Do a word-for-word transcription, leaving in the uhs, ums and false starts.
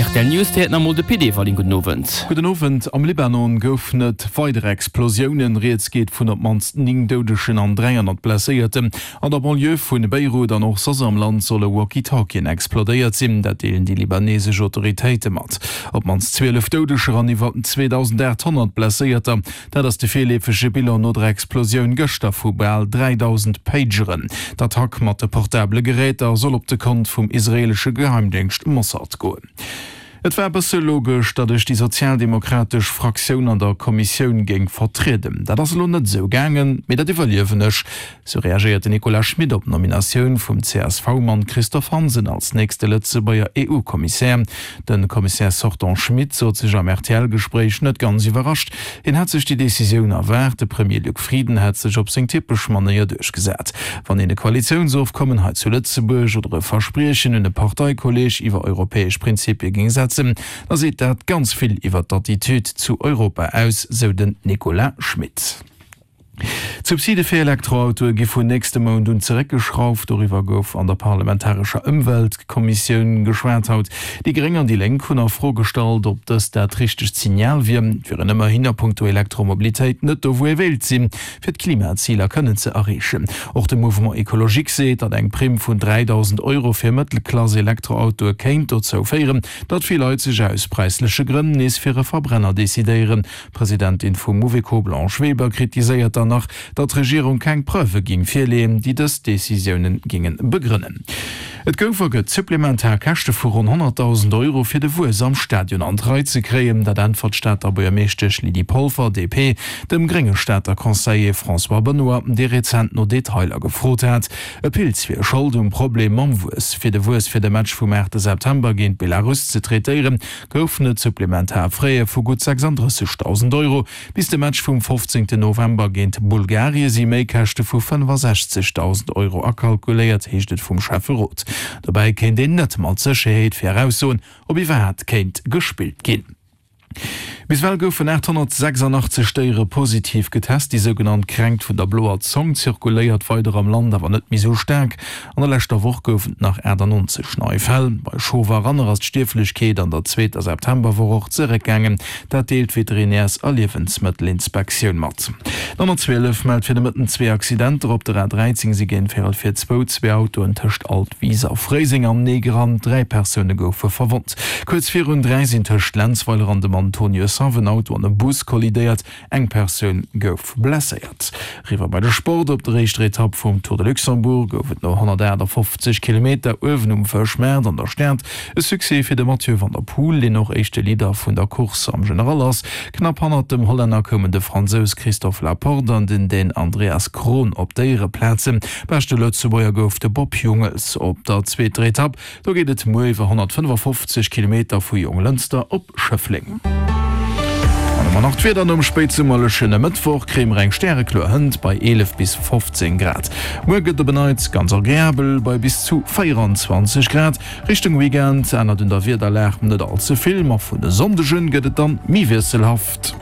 Rtl News Dir nach emol de Pit Everling. Gudden Owend. Gudden Owend. Am Libanon goufen et weider Explosiounen. Rieds geet vun op d'mannst néng Doudegen an dräihonnert Blesséierten. An der Banlieue vu Beirut an och soss am Land solle Walkie-Talkien explodéiert sinn. Dat deelen déi libanesesch Autoritéite mat. Op d'mannst zwielef Doudeger an iwwer zweedausendaathonnert Blesséierter, dat ass de virleefege Bilan no der Explosioun gëschter vu bal dräidausend Pageren. D'Attack mat de portabele Geräter soll op de Kont vum israeelesche Geheimdéngscht Mossad goen. Et war e bësse logesch, datt ech déi sozialdemokratesch Fraktioun an der Kommissioun géing vertrieden. Dat ass elo net esou gaangen, mee dat iwwerliewen ech, sou reagéiert den Nicolas Schmit op d'Nominatioun vum C S V-Mann Christophe Hansen als nächste Lëtzebuerger E U-Kommissär. De Commissaire sortant Schmit sot sech am R T L-Gespréich net ganz iwwerrascht. Hien hätt sech déi Decisioun erwaart. De Premier Luc Frieden hätt sech op seng typesch Manéier duerchgesat. Wann een e Koalitiounsofkommen hei zu Lëtzebuerg oder e Verspriechen un e Parteikolleeg iwwer europäesch Prinzipie géing setzen, da seet dat ganz vill iwwer d'Attitüd zu Europa aus, sou den Nicolas Schmit. D'Subside fir Elektroautoe gi vun nächste Mount un zeréckgeschrauft. Doriwwer gouf an der parlamentarescher Ëmweltkommissioun geschwat haut. Déi Gréng an déi Lénk hunn a Fro gestallt, ob dëst dat richtegt Signal wier. Et wier een ëmmerhin a punkto Elektromobilitéit net do wou ee wéilt sinn, fir d'Klimaziler kënnen ze erreechen. Och de Mouvement Ecologique seet, datt eng Primm vun dräidausend Euro fir Mëttelklass-Elektroautoe kéint dozou féieren, datt vill Leit sech aus präisleche Grënn nees fir e Verbrenner decidéieren. D'Presidentin vum Mouveco Blanche Weber kritiséiert dann nach, datt d'Regierung keng Preuve géing virleeën, déi dës Decisioune géinge begrënnen. Et gouf a gëtt supplementar Käschte vu ronn honnertdausend Euro fir de Wuess am Stadion an d'Rei ze kréien. Dat äntwert d'Stater Buergermeeschtesch Lydie Polfer, D P, dem grénge Stater Conseiller François Benoy, dee rezent no Detailer gefrot hat. E Pilz wier Schold um Problem mam Wuess. Fir de Wuess fir de Match vum aachte September géint Belarus ze traitéieren, goufen et supplementar Frais vu gutt sechsandrëssegdausend Euro. Bis de Match vum fofzéngten November géint Bulgarie si Méikäschte vu fënnefasechzegdausend Euro akalkuléiert, heescht et vum Schäfferot. Dobäi kéint een net mat Sécherheet viraussoen, ob iwwerhaapt kéint gespillt ginn. Bis ewell goufen aathonnertsechsandachtzeg Déiere positiv getest. Déi sougenannt Kränkt vun der bloer Zong zirkuléiert weider am Land, awer net méi sou staark. An der leschter Woch goufen et nach aachtannonzeg nei Fäll. Bei Schof a Ranner ass d'Stierflechkeet an der zweeter Septemberwoch och zeréckgaangen. Dat deelt d'Veterinärs a Liewensmëttelinspektioun mat. D'honnertzwielef mellt fir de Mëtten zwee Accidenter. Op der A dräizéng si géint véierel vir zwou zwee Autoen tëscht Altwis a Fréiseng aneneegerannt. Dräi Persoune goufe verwonnt. Kuerz virun dräi sinn tëscht Lenzweiler an dem Antoniushaff en Auto an e Bus kollidéiert, eng Persoun gouf blesséiert. Eriwwer bei de Sport, Op der éischter Etapp vum Tour de Luxembourg gouf et no honnertaachtafoffzeg Kilometer uewen um Fëschmaart an der Stad e Succès fir de Mathieu van der Poel, deen och éischte Leader vun der Course am General ass. Knapp hannert dem Hollänner koumen de Fransous Christophe Laporte an den Dän Andreas Kron op d'Éiereplazen. Beschte Lëtzebuerger gouf de Bob Jungels op der zweeter Etapp. Do geet et muer iwwer honnertfënnefafofzeg Kilometer vu Jonglënster op Schëffleng. An ëmmer nach d'Wieder, Nom spéitsummerlechen Mëttwoch kréie mer eng stärekloer Hënt bei eelef bis fofzéng Grad. Muer gëtt op en Neits ganz agreabel bei bis zu véieranzwanzeg Grad. Richtung Weekend ännert un der Wiederlag net all ze vill, ma vun e Sonndeg un gëtt et dann méi wiesselhaft.